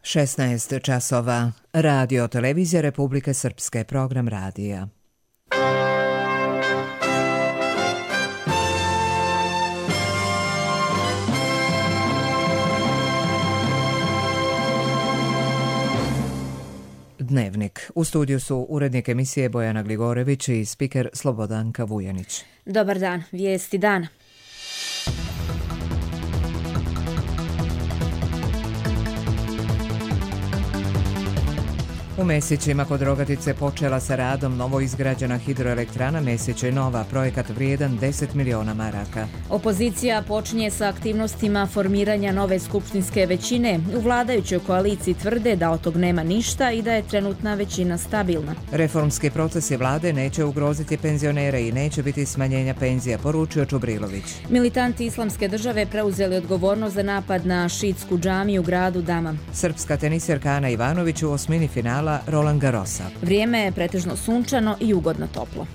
16 časova. Radio televizija Republike Srpske, program radija. Dnevnik. U studiju su urednik emisije Bojana Gligorević i spiker Slobodanka Vujanić. Dobar dan, vijesti dana. U Mesićima kod Rogatice počela sa radom novoizgrađena hidroelektrana Mesiće Nova, projekat vrijedan 10 miliona maraka. Opozicija počinje sa aktivnostima formiranja nove skupštinske većine. U vladajućoj koaliciji tvrde da od tog nema ništa i da je trenutna većina stabilna. Reformski procesi vlade neće ugroziti penzionere i neće biti smanjenja penzija, poručio Čubrilović. Militanti Islamske države preuzeli odgovornost za napad na šiitsku džamiju u gradu Dama. Srpska tenisjerka Ana Ivanović u osmini finala Roland Garrosa. Vrijeme je pretežno sunčano i ugodno toplo.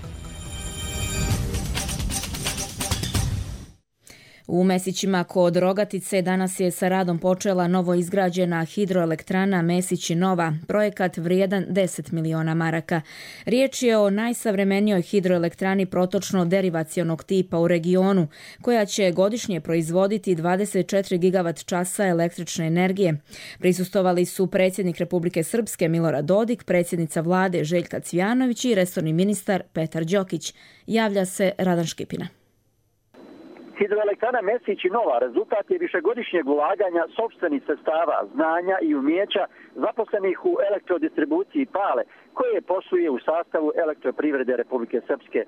U Mesićima kod Rogatice danas je sa radom počela novoizgrađena hidroelektrana Mesići Nova, projekat vrijedan 10 miliona maraka. Riječ je o najsavremenijoj hidroelektrani protočno-derivacionog tipa u regionu, koja će godišnje proizvoditi 24 gigavat časa električne energije. Prisustvovali su predsjednik Republike Srpske Milorad Dodik, predsjednica vlade Željka Cvijanović i resorni ministar Petar Đokić. Javlja se Radan Škipina. Hidroelektrana Mesić Nova rezultat je višegodišnjeg ulaganja sopstvenih sredstava, znanja i umjeća zaposlenih u elektrodistribuciji Pale, koje posluje u sastavu Elektroprivrede Republike Srpske.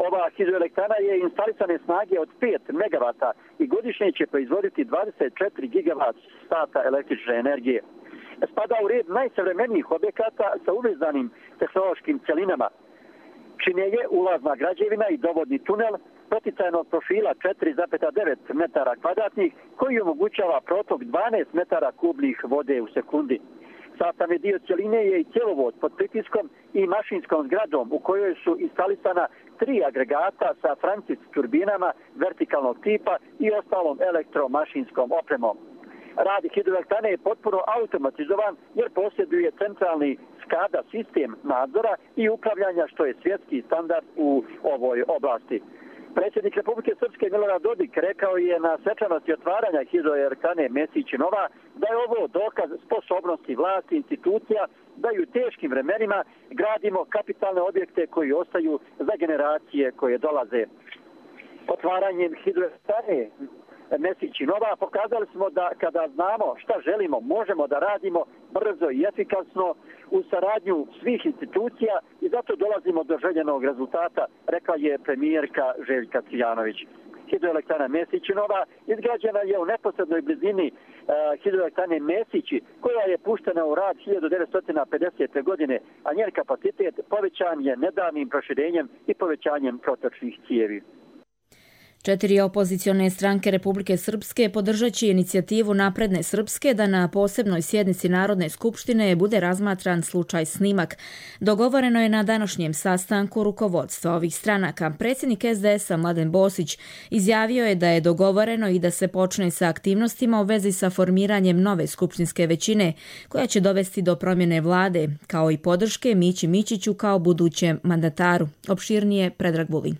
Ova hidroelektrana je instalisane snage od 5 megavata i godišnje će proizvoditi 24 gigavat sata električne energije. Spada u red najsavremenijih objekata sa uvezanim tehnološkim cjelinama. Čine je ulazna građevina i dovodni tunel poticajnog profila 4,9 metara kvadratnih koji omogućava protok 12 metara kubnih vode u sekundi. Sastavni dio cjeline je i cjevovod pod pritiskom i mašinskom zgradom u kojoj su instalisana 3 agregata sa Francis turbinama vertikalnog tipa i ostalom elektromašinskom opremom. Rad hidroelektrane je potpuno automatizovan jer posjeduje centralni SCADA sistem nadzora i upravljanja, što je svjetski standard u ovoj oblasti. Predsjednik Republike Srpske Milorad Dodik rekao je na svečanosti otvaranja hidroelektrane Mesić Nova da je ovo dokaz sposobnosti vlasti institucija da i u teškim vremenima gradimo kapitalne objekte koji ostaju za generacije koje dolaze. Otvaranjem hidroelektrane Mesić Nova pokazali smo da kada znamo šta želimo, možemo da radimo brzo i efikasno u saradnju svih institucija i zato dolazimo do željenog rezultata, rekla je premijerka Željka Cvijanović. Hidroelektrana Mesić Nova izgrađena je u neposrednoj blizini hidroelektrane Mesići, koja je puštena u rad 1950. godine, a njen kapacitet povećan je nedavnim proširenjem i povećanjem protočnih cijevi. 4 opozicione stranke Republike Srpske podržat će inicijativu Napredne Srpske da na posebnoj sjednici Narodne skupštine bude razmatran slučaj Snimak. Dogovoreno je na današnjem sastanku rukovodstva ovih stranaka. Predsjednik SDS-a Mladen Bosić izjavio je da je dogovoreno i da se počne sa aktivnostima u vezi sa formiranjem nove skupštinske većine, koja će dovesti do promjene vlade, kao i podrške Mići Mićiću kao budućem mandataru. Opširnije Predrag Vulin.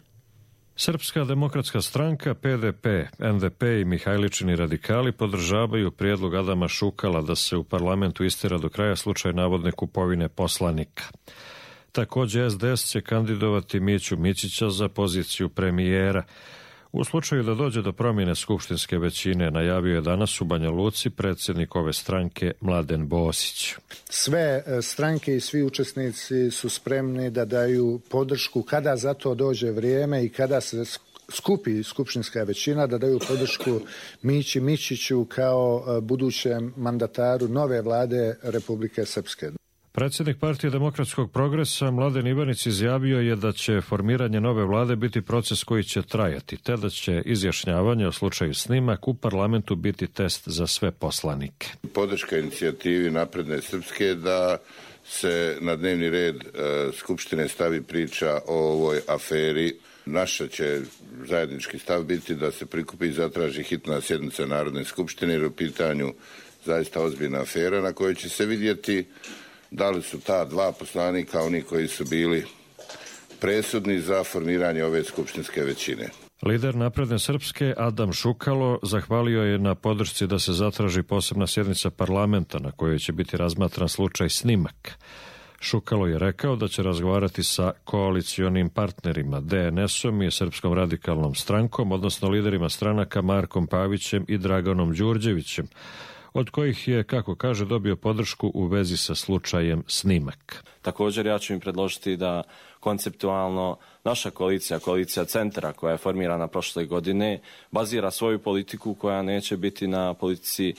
Srpska demokratska stranka, PDP, NDP i Mihajličini radikali podržavaju prijedlog Adama Šukala da se u parlamentu istjera do kraja slučaj navodne kupovine poslanika. Također SDS će kandidovati Miću Mićića za poziciju premijera. U slučaju da dođe do promjene skupštinske većine, najavio je danas u Banja Luci predsjednik ove stranke Mladen Bosić. Sve stranke i svi učesnici su spremni da daju podršku kada za to dođe vrijeme i kada se skupi skupštinska većina, da daju podršku Mići Mićiću kao budućem mandataru nove vlade Republike Srpske. Predsjednik Partije demokratskog progresa Mladen Ivanić izjavio je da će formiranje nove vlade biti proces koji će trajati, te da će izjašnjavanje o slučaju Snimak u parlamentu biti test za sve poslanike. Podrška inicijativi Napredne Srpske da se na dnevni red Skupštine stavi priča o ovoj aferi. Naša će zajednički stav biti da se prikupi i zatraži hitna sjednica Narodne skupštine jer u pitanju zaista ozbiljna afera na kojoj će se vidjeti da li su ta dva poslanika oni koji su bili presudni za formiranje ove skupštinske većine. Lider Napredne Srpske Adam Šukalo zahvalio je na podršci da se zatraži posebna sjednica parlamenta na kojoj će biti razmatran slučaj Snimak. Šukalo je rekao da će razgovarati sa koalicionim partnerima DNS-om i Srpskom radikalnom strankom, odnosno liderima stranaka Markom Pavićem i Draganom Đurđevićem, od kojih je, kako kaže, dobio podršku u vezi sa slučajem Snimak. Također ja ću im predložiti da konceptualno naša koalicija Centra koja je formirana prošle godine, bazira svoju politiku koja neće biti na politici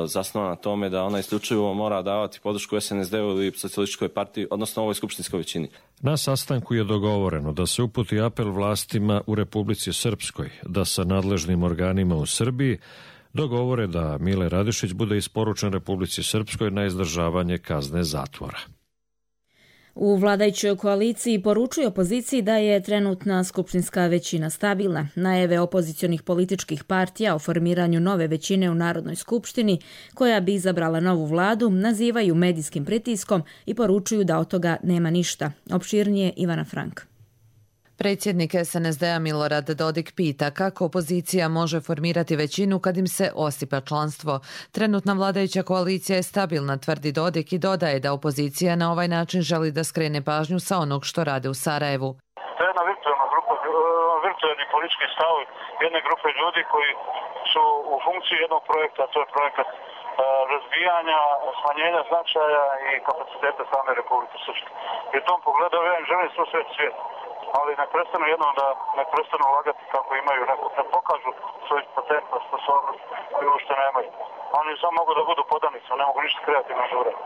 zasnovana na tome da ona isključivo mora davati podršku SNSD-u ili Socijalističkoj partiji, odnosno ovoj skupštinskoj većini. Na sastanku je dogovoreno da se uputi apel vlastima u Republici Srpskoj, da sa nadležnim organima u Srbiji dogovore da Mile Radišić bude isporučen Republici Srpskoj na izdržavanje kazne zatvora. U vladajućoj koaliciji poručuje opoziciji da je trenutna skupštinska većina stabilna. Najave opozicionih političkih partija o formiranju nove većine u Narodnoj skupštini, koja bi izabrala novu vladu, nazivaju medijskim pritiskom i poručuju da od toga nema ništa. Opširnije Ivana Frank. Predsjednik SNSD-a Milorad Dodik pita kako opozicija može formirati većinu kad im se osipa članstvo. Trenutna vladajuća koalicija je stabilna, tvrdi Dodik, i dodaje da opozicija na ovaj način želi da skrene pažnju sa onog što rade u Sarajevu. To je jedna virtualna grupa, virtualni politički stav jedne grupe ljudi koji su u funkciji jednog projekta, to je projekat razbijanja, smanjenja značaja i kapaciteta same Republike Srpske. I u tom pogledu ja želim svo svijet. Ali ne prestanu jednom da ne prestanu ulagati kako imaju neko, da pokažu svoj patentna sposobnost koju uopšte nemaju. Oni samo mogu da budu podanici, ne mogu ništa kreativno žurati.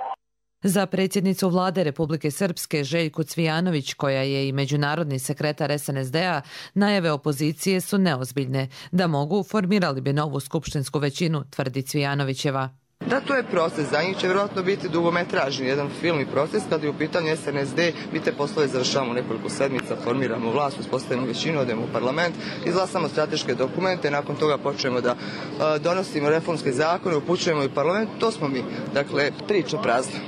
Za predsjednicu vlade Republike Srpske Željku Cvijanović, koja je i međunarodni sekretar SNSD-a, najave opozicije su neozbiljne. Da mogu, formirali bi novu skupštinsku većinu, tvrdi Cvijanovićeva. Da, to je proces. Za njih će vjerojatno biti dugometražni jedan filmni proces. Kada je u pitanju SNSD, mi te poslove završavamo nekoliko sedmica, formiramo vlast, uspostavimo većinu, odemo u parlament, izglasamo strateške dokumente, nakon toga počnemo da donosimo reformske zakone, upućujemo i parlament. To smo mi. Dakle, priča prazna.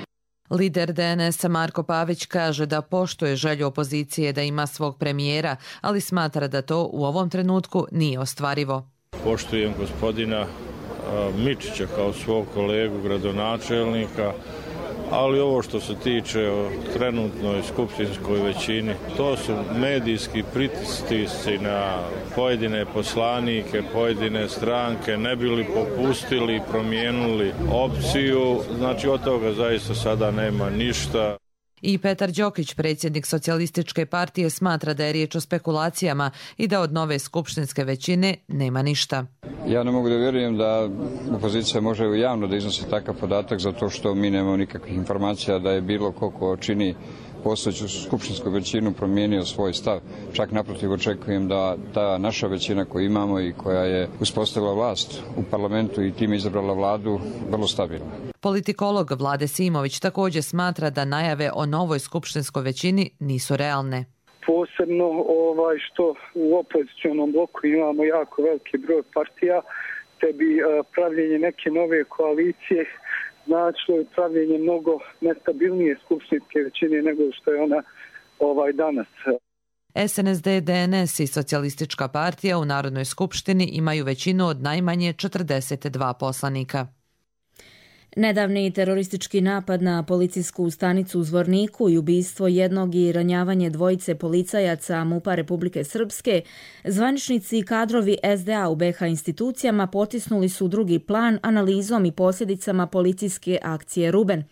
Lider DNS-a Marko Pavić kaže da poštuje želju opozicije da ima svog premijera, ali smatra da to u ovom trenutku nije ostvarivo. Poštujem gospodina Mičića kao svog kolegu gradonačelnika, ali ovo što se tiče o trenutnoj skupštinskoj većini, to su medijski pritisci na pojedine poslanike, pojedine stranke, ne bili popustili, promijenili opciju, znači od toga zaista sada nema ništa. I Petar Đokić, predsjednik Socijalističke partije, smatra da je riječ o spekulacijama i da od nove skupštinske većine nema ništa. Ja ne mogu da vjerujem da opozicija može javno da iznosi takav podatak, zato što mi nemamo nikakvih informacija da je bilo ko čini postojeću skupštinsku većinu promijenio svoj stav. Čak naprotiv očekujem da ta naša većina koju imamo i koja je uspostavila vlast u parlamentu i time izabrala vladu vrlo stabilna. Politikolog Vlade Simović također smatra da najave o novoj skupštinskoj većini nisu realne. Posebno što u opozicionom bloku imamo jako veliki broj partija, te bi pravljenje neke nove koalicije značilo je pravljenje mnogo nestabilnije skupštinske većine nego što je ona danas. SNSD, DNS i Socijalistička partija u Narodnoj skupštini imaju većinu od najmanje 42 poslanika. Nedavni teroristički napad na policijsku stanicu u Zvorniku i ubistvo jednog i ranjavanje dvojice policajaca MUP-a Republike Srpske, zvaničnici i kadrovi SDA u BiH institucijama potisnuli su drugi plan analizom i posljedicama policijske akcije Ruben.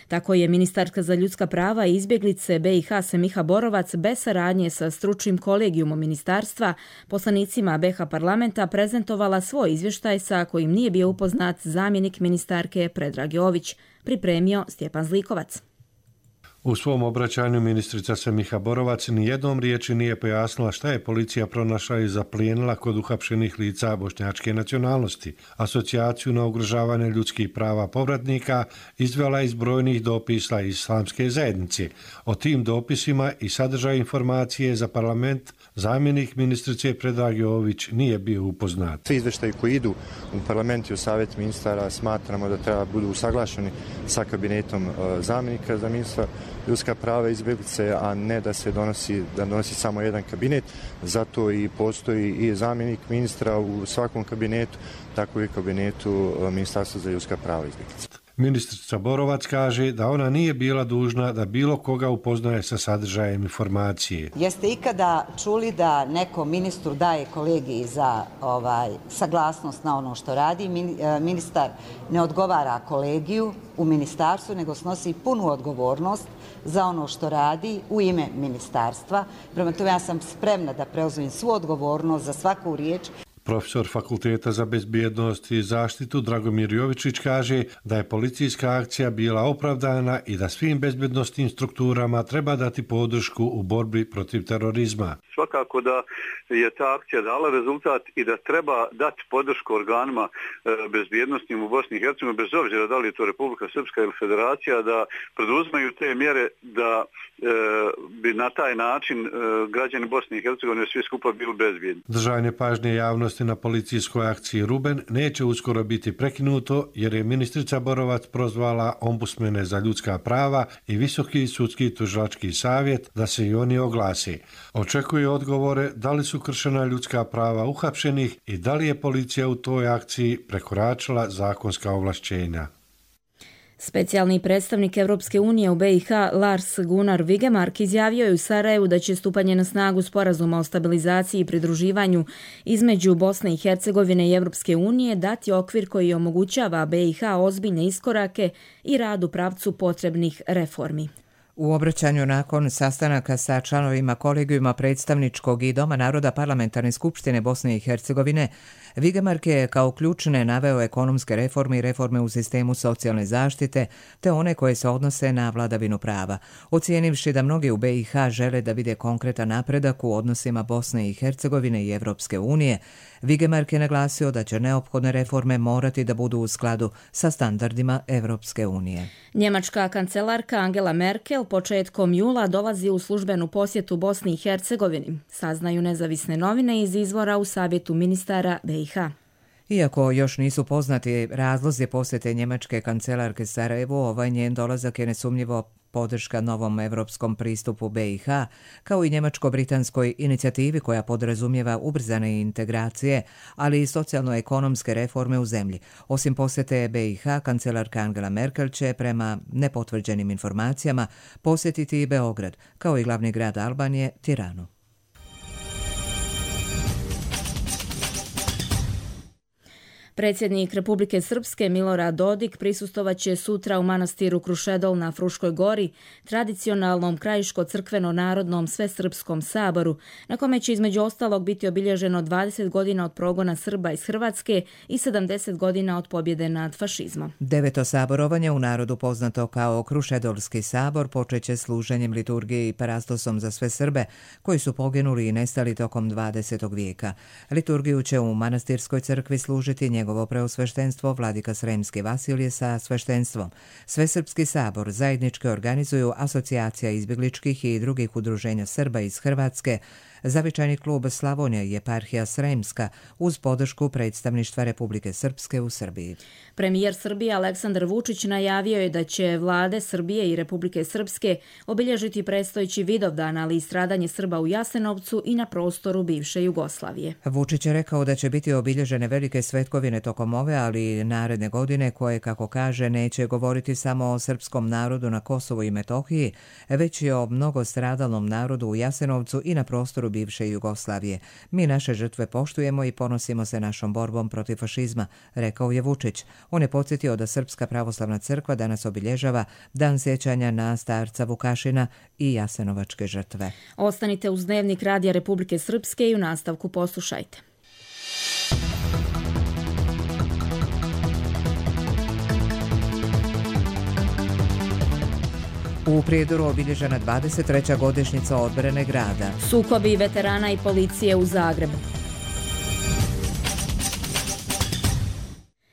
Tako je ministarka za ljudska prava i izbjeglice BiH Semiha Borovac bez saradnje sa stručnim kolegijumom ministarstva poslanicima BiH parlamenta prezentovala svoj izvještaj sa kojim nije bio upoznat zamjenik ministarke Predrag Jović, pripremio Stjepan Zlikovac. U svom obraćanju ministrica Semiha Borovac nijednom riječi nije pojasnila šta je policija pronašla i zaplijenila kod uhapšenih lica bošnjačke nacionalnosti. Asocijaciju na ugrožavanje ljudskih prava povratnika izvela iz brojnih dopisa islamske zajednice. O tim dopisima i sadržaju informacije za parlament zamjenik ministrice Predrag Jović nije bio upoznat. Svi izveštaji koji idu u parlament i u savjet ministara smatramo da treba budu usaglašeni sa kabinetom zamjenika za ministra ljudska prava i izbjeglice, a ne da se donosi samo jedan kabinet. Zato i postoji i zamjenik ministra u svakom kabinetu, tako i kabinetu Ministarstva za ljudska prava i izbjeglice. Ministrica Borovac kaže da ona nije bila dužna da bilo koga upoznaje sa sadržajem informacije. Jeste ikada čuli da neko ministru daje kolegiji za saglasnost na ono što radi? Ministar ne odgovara kolegiju u ministarstvu, nego snosi punu odgovornost za ono što radi u ime ministarstva. Prema tome ja sam spremna da preuzmem svu odgovornost za svaku riječ. Profesor Fakulteta za bezbjednost i zaštitu Dragomir Jovičić kaže da je policijska akcija bila opravdana i da svim bezbjednostnim strukturama treba dati podršku u borbi protiv terorizma. Svakako da je ta akcija dala rezultat i da treba dati podršku organima bezbjednostnim u Bosni i Hercegovini, bez obzira da li je to Republika Srpska ili Federacija, da preduzmaju te mjere da bi na taj način građani Bosne i Hercegovine svi skupa bili bezbjedni. Držanje pažnje javnosti na policijskoj akciji Ruben neće uskoro biti prekinuto jer je ministrica Borovac prozvala ombudsmene za ljudska prava i Visoki sudski tužilački savjet da se i oni oglasi. Očekuje odgovore da li su kršena ljudska prava uhapšenih i da li je policija u toj akciji prekoračila zakonska ovlašćenja. Specijalni predstavnik Evropske unije u BiH Lars Gunnar Vigemark izjavio je u Sarajevu da će stupanje na snagu sporazuma o stabilizaciji i pridruživanju između Bosne i Hercegovine i Evropske unije dati okvir koji omogućava BiH ozbiljne iskorake i rad u pravcu potrebnih reformi. U obraćanju nakon sastanaka sa članovima kolegijuma predstavničkog i Doma naroda Parlamentarne skupštine Bosne i Hercegovine, Vigemark je kao ključne naveo ekonomske reforme i reforme u sistemu socijalne zaštite, te one koje se odnose na vladavinu prava. Ocijenivši da mnogi u BiH žele da vide konkretan napredak u odnosima Bosne i Hercegovine i Evropske unije, Vigemark je naglasio da će neophodne reforme morati da budu u skladu sa standardima Evropske unije. Njemačka kancelarka Angela Merkel početkom jula dolazi u službenu posjetu Bosni i Hercegovini, saznaju nezavisne novine iz izvora u Savjetu ministara BiH. Iako još nisu poznati razlozi posjete njemačke kancelarke Sarajevu, ovaj njen dolazak je nesumnjivo podrška novom evropskom pristupu BiH, kao i njemačko-britanskoj inicijativi koja podrazumijeva ubrzane integracije, ali i socijalno-ekonomske reforme u zemlji. Osim posjete BiH, kancelarka Angela Merkel će, prema nepotvrđenim informacijama, posjetiti i Beograd, kao i glavni grad Albanije, Tiranu. Predsjednik Republike Srpske Milorad Dodik prisustovaće sutra u manastiru Krušedol na Fruškoj gori, tradicionalnom krajiško-crkveno-narodnom svesrpskom saboru, na kome će između ostalog biti obilježeno 20 godina od progona Srba iz Hrvatske i 70 godina od pobjede nad fašizmom. Deveto saborovanje, u narodu poznato kao Krušedolski sabor, počeće služenjem liturgije i parastosom za sve Srbe koji su poginuli i nestali tokom 20. vijeka. Liturgiju će u manastirskoj crkvi služiti njegovo preosveštenstvo vladika Sremski Vasilije sa sveštenstvom. Svesrpski sabor zajednički organizuju Asocijacija izbjegličkih i drugih udruženja Srba iz Hrvatske, Zavičajni klub Slavonija i Eparhija Sremska uz podršku predstavništva Republike Srpske u Srbiji. Premijer Srbije Aleksandar Vučić najavio je da će vlade Srbije i Republike Srpske obilježiti predstojeći Vidovdan, ali i stradanje Srba u Jasenovcu i na prostoru bivše Jugoslavije. Vučić je rekao da će biti obilježene velike svetkovine tokom ove, ali i naredne godine, koje, kako kaže, neće govoriti samo o srpskom narodu na Kosovu i Metohiji, već i o mnogostradalnom narodu u Jasenovcu i na prostoru bivše Jugoslavije. Mi naše žrtve poštujemo i ponosimo se našom borbom protiv fašizma, rekao je Vučić. On je podsjetio da Srpska pravoslavna crkva danas obilježava Dan sjećanja na starca Vukašina i jasenovačke žrtve. Ostanite uz Dnevnik Radija Republike Srpske i u nastavku poslušajte. U Prijedoru obilježena 23. godišnjica odbrane grada. Sukobi veterana i policije u Zagrebu.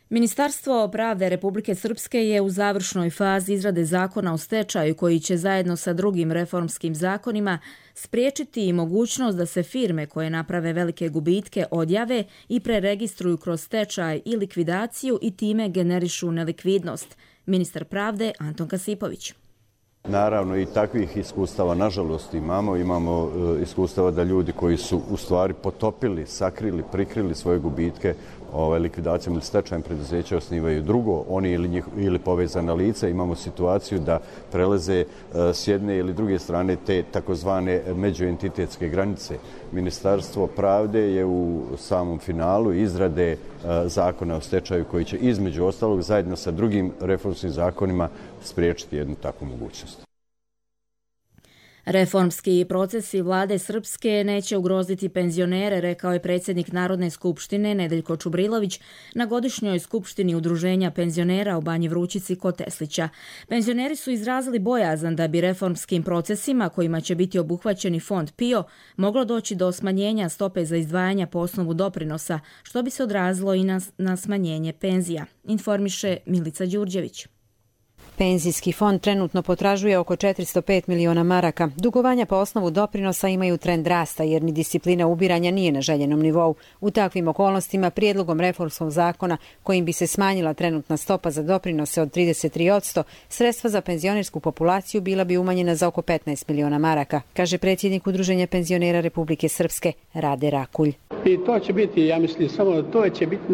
Ministarstvo pravde Republike Srpske je u završnoj fazi izrade zakona o stečaju koji će zajedno sa drugim reformskim zakonima spriječiti i mogućnost da se firme koje naprave velike gubitke odjave i preregistruju kroz stečaj i likvidaciju i time generišu nelikvidnost. Ministar pravde Anton Kasipović. Naravno i takvih iskustava nažalost imamo iskustava da ljudi koji su u stvari potopili, sakrili, prikrili svoje gubitke likvidacijom ili stečajem preduzeća osnivaju drugo, oni ili povezana lica. Imamo situaciju da prelaze s jedne ili druge strane te takozvane međuentitetske granice. Ministarstvo pravde je u samom finalu izrade zakona o stečaju koji će između ostalog zajedno sa drugim reformskim zakonima spriječiti jednu takvu mogućnost. Reformski procesi vlade Srpske neće ugroziti penzionere, rekao je predsjednik Narodne skupštine Nedeljko Čubrilović na godišnjoj skupštini Udruženja penzionera u Banji Vrućici kod Teslića. Penzioneri su izrazili bojazan da bi reformskim procesima kojima će biti obuhvaćeni fond PIO moglo doći do smanjenja stope za izdvajanja po osnovu doprinosa, što bi se odrazilo i na smanjenje penzija, informiše Milica Đurđević. Penzijski fond trenutno potražuje oko 405 miliona maraka. Dugovanja po osnovu doprinosa imaju trend rasta jer ni disciplina ubiranja nije na željenom nivou. U takvim okolnostima prijedlogom reformskog zakona kojim bi se smanjila trenutna stopa za doprinose od 33%, sredstva za penzionersku populaciju bila bi umanjena za oko 15 miliona maraka, kaže predsjednik Udruženja penzionera Republike Srpske Rade Rakulj. I to će biti, ja mislim, samo to će biti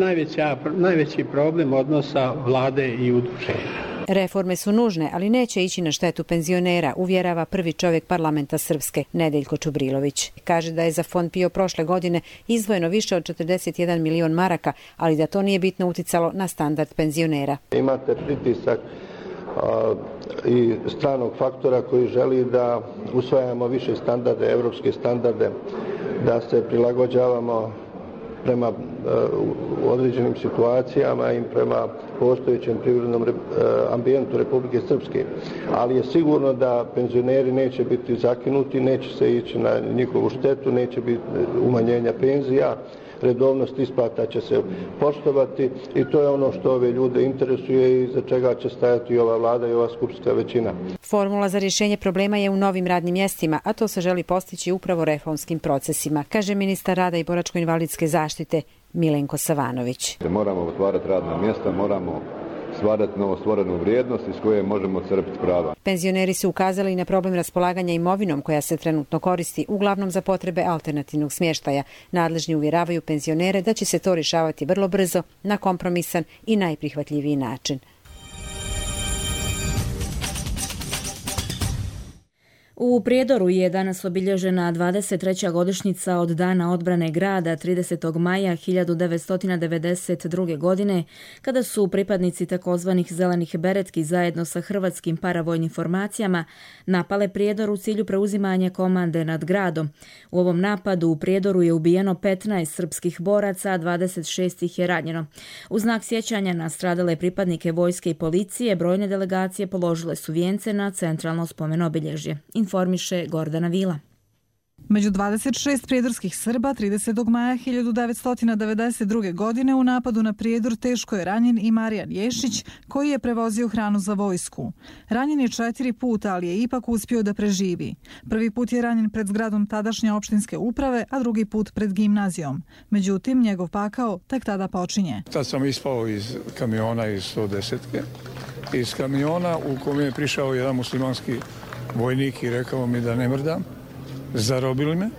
najveći problem odnosa vlade i udruženja. Reforme su nužne, ali neće ići na štetu penzionera, uvjerava prvi čovjek parlamenta Srpske, Nedeljko Čubrilović. Kaže da je za fond PIO prošle godine izdvojeno više od 41 milion maraka, ali da to nije bitno uticalo na standard penzionera. Imate pritisak i stranog faktora koji želi da usvajamo više standarde, evropske standarde, da se prilagođavamo prema određenim situacijama i prema postojećem privrednom ambijentu Republike Srpske. Ali je sigurno da penzioneri neće biti zakinuti, neće se ići na njihovu štetu, neće biti umanjenja penzija, redovnost isplata će se poštovati i to je ono što ove ljude interesuje i za čega će stajati ova vlada i ova skupštinska većina. Formula za rješenje problema je u novim radnim mjestima, a to se želi postići upravo reformskim procesima, kaže ministar rada i boračko-invalidske zaštite Milenko Savanović. Moramo otvarati radna mjesta, moramo stvarati novostvorenu vrijednost iz koje možemo crpiti prava. Penzioneri su ukazali na problem raspolaganja imovinom koja se trenutno koristi uglavnom za potrebe alternativnog smještaja. Nadležni uvjeravaju penzionere da će se to rješavati vrlo brzo, na kompromisan i najprihvatljiviji način. U Prijedoru je danas obilježena 23. godišnjica od Dana odbrane grada 30. maja 1992. godine, kada su pripadnici takozvanih zelenih beretki zajedno sa hrvatskim paravojnim formacijama napale Prijedor u cilju preuzimanja komande nad gradom. U ovom napadu u Prijedoru je ubijeno 15 srpskih boraca, a 26 ih je ranjeno. U znak sjećanja na stradale pripadnike vojske i policije, brojne delegacije položile su vijence na centralno spomen obilježje, informiše Gordana Vila. Među 26 prijedorskih Srba 30. maja 1992. godine u napadu na Prijedor teško je ranjen i Marijan Ješić, koji je prevozio hranu za vojsku. Ranjen je 4 puta, ali je ipak uspio da preživi. Prvi put je ranjen pred zgradom tadašnje opštinske uprave, a drugi put pred gimnazijom. Međutim, njegov pakao tek tada počinje. Tad sam ispao iz kamiona iz 110-ke. Iz kamiona u kojem je prišao jedan muslimanski vojnik i rekao mi da ne mrdam. Zarobili me,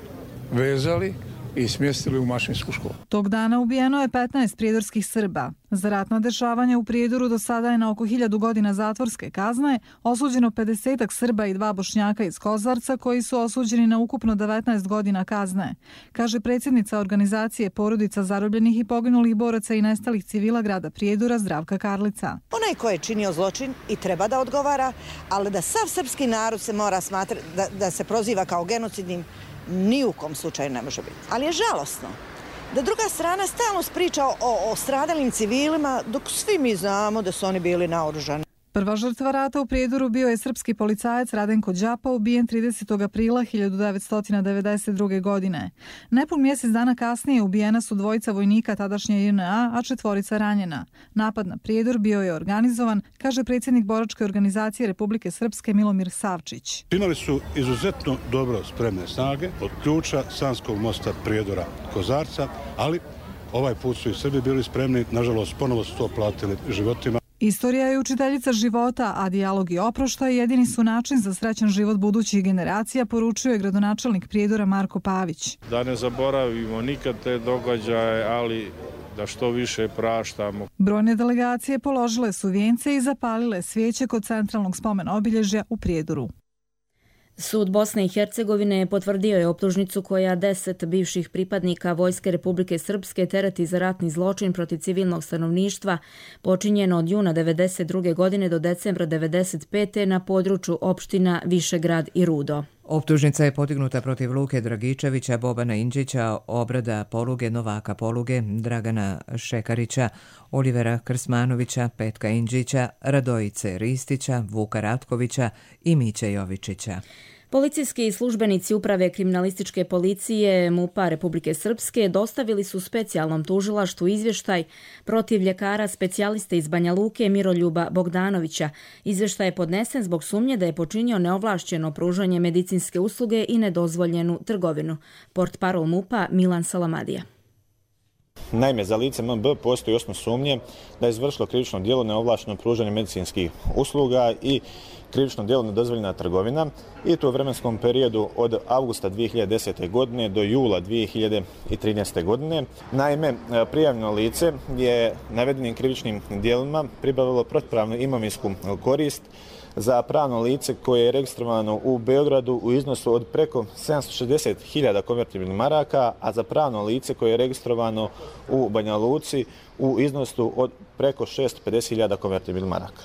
vezali i smjestili u mašinsku školu. Tog dana ubijeno je 15 prijedorskih Srba. Za ratna dešavanja u Prijedoru do sada je na oko 1000 godina zatvorske kazne osuđeno 50 Srba i 2 Bošnjaka iz Kozarca koji su osuđeni na ukupno 19 godina kazne, kaže predsjednica organizacije porodica zarobljenih i poginulih boraca i nestalih civila grada Prijedora Zdravka Karlica. Onaj ko je činio zločin i treba da odgovara, ali da sav srpski narod se mora smatrati da se proziva kao genocidnim, ni u kom slučaju ne može biti. Ali je žalosno da druga strana stalno priča o stradalim civilima, dok svi mi znamo da su oni bili naoružani. Prva žrtva rata u Prijedoru bio je srpski policajac Radenko Đapa, ubijen 30. aprila 1992. godine. Nepun mjesec dana kasnije ubijena su dvojica vojnika tadašnje JNA, a 4 ranjena. Napad na Prijedor bio je organizovan, kaže predsjednik boračke organizacije Republike Srpske Milomir Savčić. Imali su izuzetno dobro spremne snage od ključa Sanskog mosta Prijedora Kozarca, ali ovaj put su i Srbi bili spremni, nažalost ponovo su to platili životima. Istorija je učiteljica života, a dijalog i oproštaj jedini su način za srećan život budućih generacija, poručio je gradonačelnik Prijedora Marko Pavić. Da ne zaboravimo nikad te događaje, ali da što više praštamo. Brojne delegacije položile su vijence i zapalile svijeće kod centralnog spomen obilježja u Prijedoru. Sud Bosne i Hercegovine potvrdio je optužnicu koja 10 bivših pripadnika Vojske Republike Srpske tereti za ratni zločin protiv civilnog stanovništva počinjeno od juna 1992. godine do decembra 1995. na području opština Višegrad i Rudo. Optužnica je podignuta protiv Luke Dragičevića, Bobana Indžića, Obrada Poluge, Novaka Poluge, Dragana Šekarića, Olivera Krsmanovića, Petka Indžića, Radojice Ristića, Vuka Ratkovića i Miće Jovičića. Policijski službenici Uprave kriminalističke policije MUP-a Republike Srpske dostavili su specijalnom tužilaštvu izvještaj protiv ljekara specijaliste iz Banja Luke Miroljuba Bogdanovića. Izvještaj je podnesen zbog sumnje da je počinio neovlašćeno pružanje medicinske usluge i nedozvoljenu trgovinu. Portparol MUP-a Milan Salamadija. Naime, za lice MB postoji osnov sumnje da je izvršilo krivično djelo neovlašteno pružanje medicinskih usluga i krivično djelo nedozvoljena trgovina i to u vremenskom periodu od avgusta 2010. godine do jula 2013. godine. Naime, prijavljeno lice je navedenim krivičnim djelima pribavilo protupravnu imovinsku korist za pravno lice koje je registrovano u Beogradu u iznosu od preko 760.000 konvertibilnih maraka, a za pravno lice koje je registrovano u Banja Luci u iznosu od preko 650.000 konvertibilnih maraka.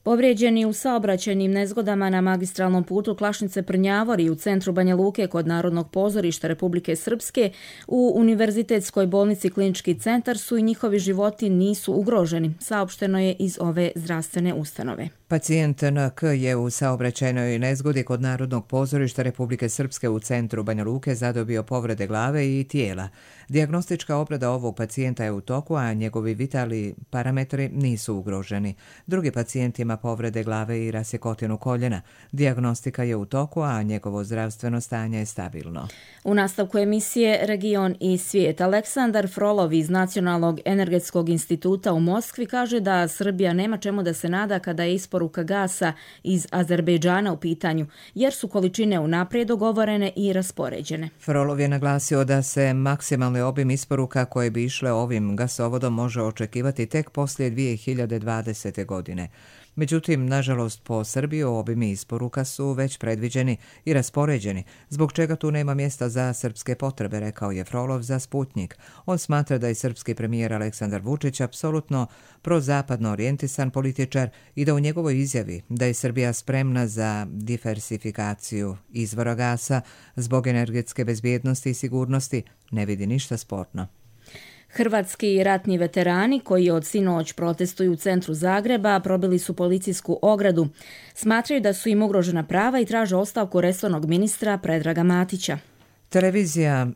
Povrijeđeni u saobraćajnim nezgodama na magistralnom putu Klašnice-Prnjavori u centru Banja Luke kod Narodnog pozorišta Republike Srpske u Univerzitetskoj bolnici Klinički centar su i njihovi životi nisu ugroženi, saopšteno je iz ove zdravstvene ustanove. Pacijent NK je u saobraćajnoj nezgodi kod Narodnog pozorišta Republike Srpske u centru Banja Luke zadobio povrede glave i tijela. Dijagnostička obrada ovog pacijenta je u toku, a njegovi vitalni parametri nisu ugroženi. Drugi pacijent ima povrede glave i rasjekotinu koljena. Dijagnostika je u toku, a njegovo zdravstveno stanje je stabilno. U nastavku emisije Region i svijet, Aleksandar Frolov iz Nacionalnog energetskog instituta u Moskvi kaže da Srbija nema čemu da se nada kada je isporuka gasa iz Azerbejdžana u pitanju, jer su količine unaprijed dogovorene i raspoređene. Frolov je naglasio da se maksimalni obim isporuka koje bi išle ovim gasovodom može očekivati tek poslije 2020. godine. Međutim, nažalost, po Srbiju obimi isporuka su već predviđeni i raspoređeni, zbog čega tu nema mjesta za srpske potrebe, rekao je Frolov za Sputnjik. On smatra da je srpski premijer Aleksandar Vučić apsolutno prozapadno orijentisan političar i da u njegovoj izjavi da je Srbija spremna za diversifikaciju izvora gasa zbog energetske bezbjednosti i sigurnosti ne vidi ništa sporno. Hrvatski ratni veterani koji od sinoć protestuju u centru Zagreba probili su policijsku ogradu. Smatraju da su im ugrožena prava i traže ostavku resornog ministra Predraga Matića. Televizija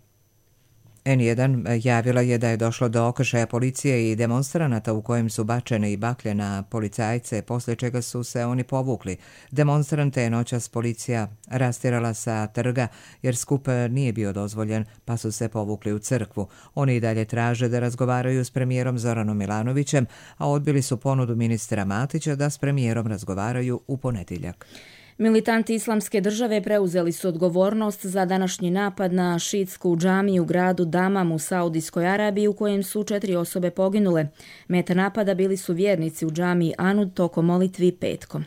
N1 javila je da je došlo do okršaja policije i demonstranata u kojem su bačene i baklje na policajce, poslije čega su se oni povukli. Demonstrante je noćas policija rastjerala sa trga jer skup nije bio dozvoljen, pa su se povukli u crkvu. Oni i dalje traže da razgovaraju s premijerom Zoranom Milanovićem, a odbili su ponudu ministra Matića da s premijerom razgovaraju u ponedjeljak. Militanti Islamske države preuzeli su odgovornost za današnji napad na šiitsku džamiju u gradu Damam u Saudijskoj Arabiji u kojem su 4 osobe poginule. Meta napada bili su vjernici u džamiji Anud tokom molitvi petkom.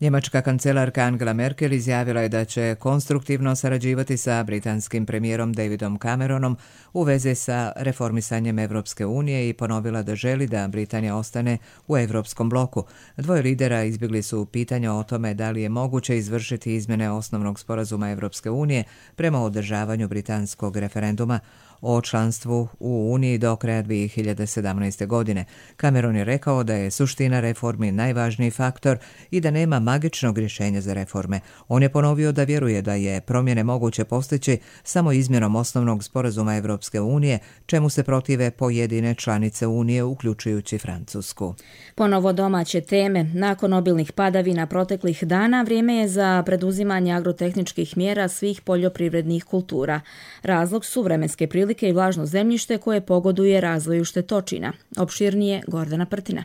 Njemačka kancelarka Angela Merkel izjavila je da će konstruktivno sarađivati sa britanskim premijerom Davidom Cameronom u vezi sa reformisanjem Evropske unije i ponovila da želi da Britanija ostane u Evropskom bloku. Dvoje lidera izbjegli su pitanja o tome da li je moguće izvršiti izmjene osnovnog sporazuma Evropske unije prema održavanju britanskog referenduma o članstvu u Uniji do kraja 2017. godine. Cameron je rekao da je suština reformi najvažniji faktor i da nema magičnog rješenja za reforme. On je ponovio da vjeruje da je promjene moguće postići samo izmjenom osnovnog sporazuma Evropske unije, čemu se protive pojedine članice Unije, uključujući Francusku. Ponovo domaće teme. Nakon obilnih padavina proteklih dana, vrijeme je za preduzimanje agrotehničkih mjera svih poljoprivrednih kultura. Razlog su vremenske prilike i vlažno zemljište koje pogoduje razvoju štetočina. Opširnije Gordana Prtina.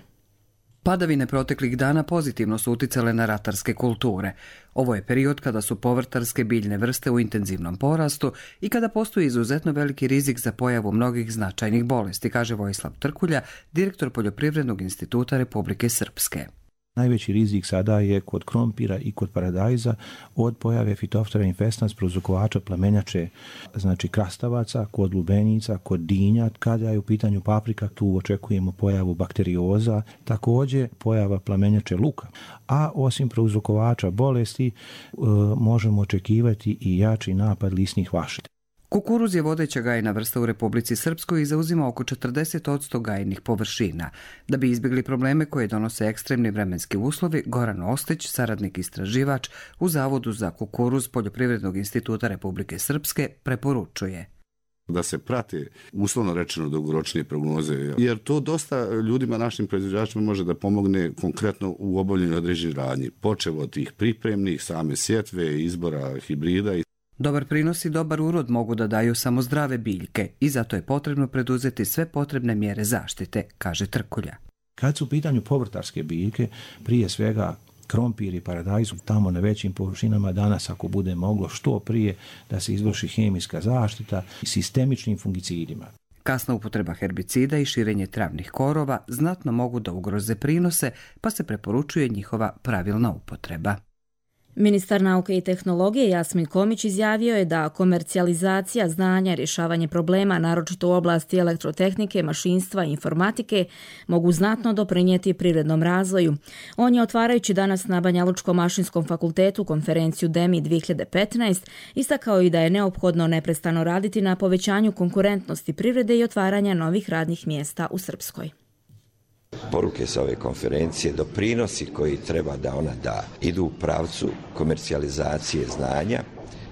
Padavine proteklih dana pozitivno su uticale na ratarske kulture. Ovo je period kada su povrtarske biljne vrste u intenzivnom porastu i kada postoji izuzetno veliki rizik za pojavu mnogih značajnih bolesti, kaže Vojislav Trkulja, direktor Poljoprivrednog instituta Republike Srpske. Najveći rizik sada je kod krompira i kod paradajza od pojave Phytophthora infestans, prouzrokovača plamenjače, znači krastavaca, kod lubenica, kod dinja. Kada je u pitanju paprika, tu očekujemo pojavu bakterioza, također pojava plamenjače luka. A osim prouzrokovača bolesti možemo očekivati i jači napad lisnih vašti. Kukuruz je vodeća gajna vrsta u Republici Srpskoj i zauzima oko 40% gajnih površina. Da bi izbjegli probleme koje donose ekstremni vremenski uslovi, Goran Ostić, saradnik istraživač u Zavodu za kukuruz Poljoprivrednog instituta Republike Srpske, preporučuje da se prate, uslovno rečeno, dugoročnije prognoze, jer to dosta ljudima, našim proizvođačima, može da pomogne konkretno u obavljanju određenih radnji, počev od tih pripremnih, same sjetve, izbora hibrida. Dobar prinos i dobar urod mogu da daju samo zdrave biljke i zato je potrebno preduzeti sve potrebne mjere zaštite, kaže Trkulja. Kad su u pitanju povrtarske biljke, prije svega krompir i paradajz, tamo na većim površinama danas, ako bude moglo što prije, da se izvrši hemijska zaštita sistemičnim fungicidima. Kasna upotreba herbicida i širenje travnih korova znatno mogu da ugroze prinose, pa se preporučuje njihova pravilna upotreba. Ministar nauke i tehnologije Jasmin Komić izjavio je da komercijalizacija znanja, rješavanje problema, naročito u oblasti elektrotehnike, mašinstva i informatike, mogu znatno doprinijeti privrednom razvoju. On je, otvarajući danas na Banjalučkom mašinskom fakultetu konferenciju DEMI 2015, istakao i da je neophodno neprestano raditi na povećanju konkurentnosti privrede i otvaranja novih radnih mjesta u Srpskoj. Poruke sa ove konferencije, doprinosi koji treba da ona da, idu u pravcu komercijalizacije znanja,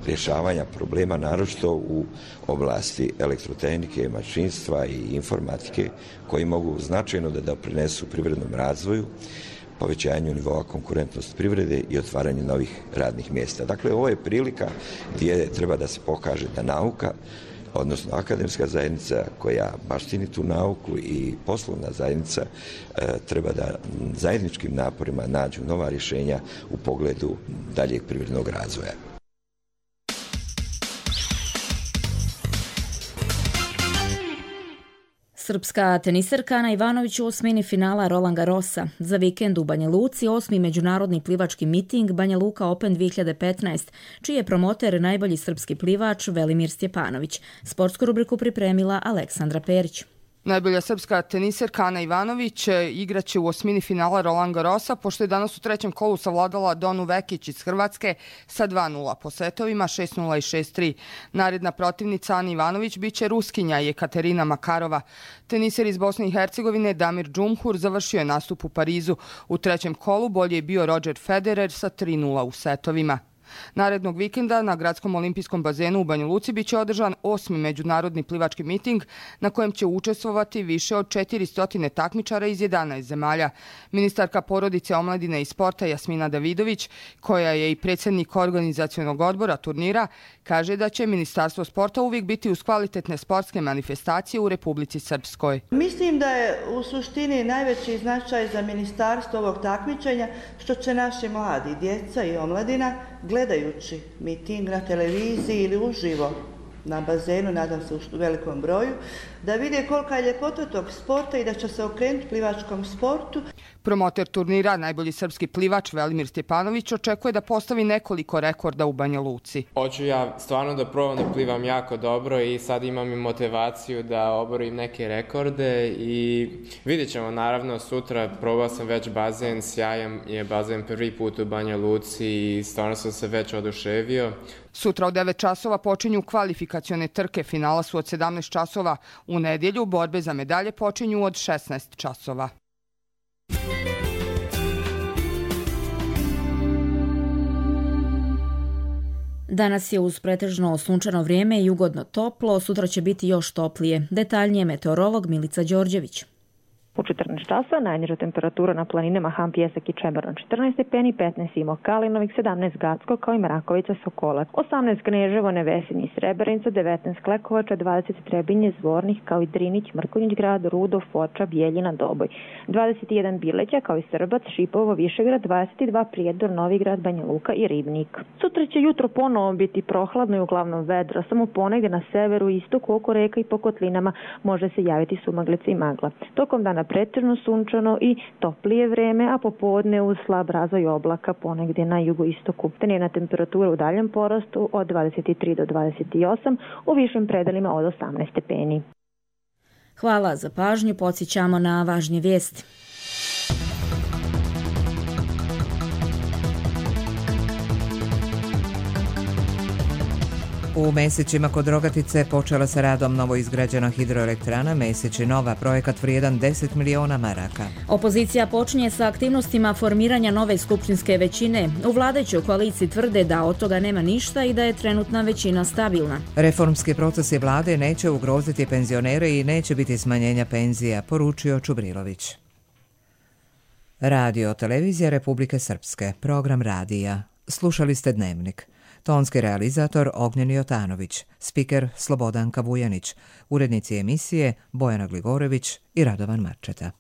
rješavanja problema, naročito u oblasti elektrotehnike, mašinstva i informatike, koji mogu značajno da doprinesu privrednom razvoju, povećanju nivoa konkurentnosti privrede i otvaranju novih radnih mjesta. Dakle, ovo je prilika gdje treba da se pokaže da nauka, odnosno akademska zajednica koja baštini tu nauku i poslovna zajednica treba da zajedničkim naporima nađu nova rješenja u pogledu daljeg privrednog razvoja. Srpska teniserka Ana Ivanović u osmini finala Roland Garrosa. Za vikend u Banja Luci 8. međunarodni plivački miting Banja Luka Open 2015, čiji je promoter najbolji srpski plivač Velimir Stjepanović. Sportsku rubriku pripremila Aleksandra Perić. Najbolja srpska teniserka Ana Ivanović igraće u osmini finala Roland Garrosa, pošto je danas u trećem kolu savladala Donu Vekić iz Hrvatske sa 2-0 po setovima 6-0 i 6-3. Naredna protivnica Ani Ivanović biće Ruskinja Jekaterina Makarova. Teniser iz Bosne i Hercegovine Damir Džumhur završio je nastup u Parizu. U trećem kolu bolje je bio Roger Federer sa 3-0 u setovima. Narednog vikenda na Gradskom olimpijskom bazenu u Banja Luci biće održan 8. međunarodni plivački miting na kojem će učestvovati više od 400 takmičara iz 11 zemalja. Ministarka porodice, omladine i sporta Jasmina Davidović, koja je i predsjednik organizacionog odbora turnira, kaže da će Ministarstvo sporta uvijek biti uz kvalitetne sportske manifestacije u Republici Srpskoj. Mislim da je u suštini najveći značaj za ministarstvo ovog takmičenja što će naši mladi, djeca i omladina, gledajući miting na televiziji ili uživo na bazenu, nadam se u velikom broju, da vide kolika je ljepota tog sporta i da će se okrenuti plivačkom sportu. Promoter turnira, najbolji srpski plivač Velimir Stjepanović, očekuje da postavi nekoliko rekorda u Banja Luci. Hoću ja stvarno da probam da plivam jako dobro i sad imam i motivaciju da oborim neke rekorde i vidjet ćemo naravno sutra. Probao sam već bazen, sjajan je bazen prvi put u Banja Luci i stvarno sam se već oduševio. Sutra od 9 časova počinju kvalifikacione trke, finala su od 17 časova. U nedjelju borbe za medalje počinju od 16 časova. Danas je uz pretežno sunčano vrijeme i ugodno toplo, sutra će biti još toplije. Detaljnije meteorolog Milica Đorđević. U 14 časova najniža temperatura na planinama Han Pijesak i Čebaron 14 stepeni, 15 Imo Kalinovik, 17 Gacko kao i Mrakovica Sokolac, 18 Kneževo, Nevesinje i Srebrenica, 19 Klekovača, 20 Trebinje, Zvornik kao i Drinić, Mrkonjić Grad, Rudo, Foča, Bijeljina, Doboj, 21 Bileća kao i Srbac, Šipovo, Višegrad, 22 Prijedor, Novigrad, Banja Luka i Ribnik. Sutra će jutro ponovo biti prohladno i uglavnom vedro, samo ponegde na severu i istoku oko reka i po kotlinama može se javiti sumaglica i magla. Tokom dana pretežno sunčano i toplije vreme, a popodne uz slab razvoj oblaka ponegdje na jugoistoku. Dnevna temperatura u daljem porastu od 23 do 28, u višim predelima od 18 stepeni. Hvala za pažnju, podsjećamo na važnje vijesti. U Mesićima kod Rogatice počela sa radom novoizgrađena hidroelektrana Mesići Nova, projekat vrijedan 10 miliona maraka. Opozicija počinje sa aktivnostima formiranja nove skupštinske većine. U vladajućoj koaliciji tvrde da od toga nema ništa i da je trenutna većina stabilna. Reformski procesi vlade neće ugroziti penzionere i neće biti smanjenja penzija, poručio Čubrilović. Radio televizija Republike Srpske, program radija. Slušali ste Dnevnik. Tonski realizator Ognjen Jotanović, spiker Slobodanka Vujanić, urednici emisije Bojana Gligorević i Radovan Marčeta.